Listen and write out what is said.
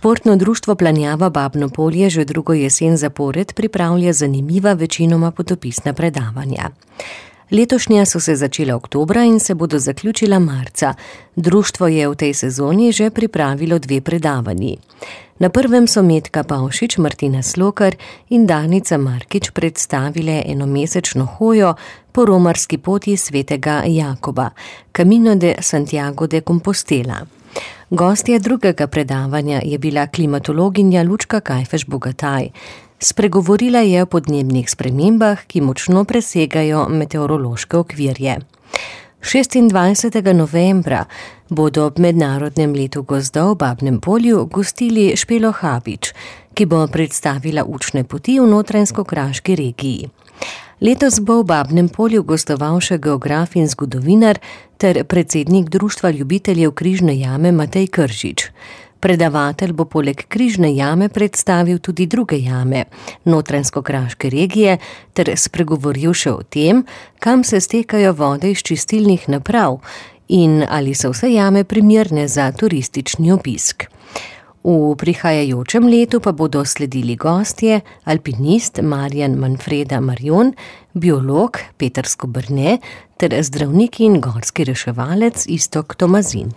Športno društvo Planjava Babno Polje že drugo jesen zapored pripravlja zanimiva, večinoma potopisna predavanja. Letošnja so se začela oktobra in se bodo zaključila marca. Društvo je v tej sezoni že pripravilo 2 predavanji. Na prvem so Metka Pavšič, Martina Slokar in Danica Markič predstavile enomesečno hojo po romarski poti svetega Jakoba, Camino de Santiago de Compostela. Gostja drugega predavanja je bila klimatologinja Lučka Kajfež-Bogataj. Spregovorila je o podnebnih spremembah, ki močno presegajo meteorološke okvirje. 26. novembra bodo ob mednarodnem letu gozdov v Babnem Polju gostili Špelo Habič, ki bo predstavila učne poti v Notranjsko-Kraški regiji. Letos bo v Babnem Polju gostoval še geograf in zgodovinar ter predsednik Društva ljubiteljev Križne jame Matej Kržič. Predavatelj bo poleg Križne jame predstavil tudi druge jame Notranjsko-Kraške regije ter spregovoril še o tem, kam se stekajo vode iz čistilnih naprav in ali so vse jame primerne za turistični obisk. V prihajajočem letu pa bodo sledili gostje, alpinist Marjan Manfreda Marjon, biolog Peter Skobrne ter zdravnik in gorski reševalec Iztok Tomazin.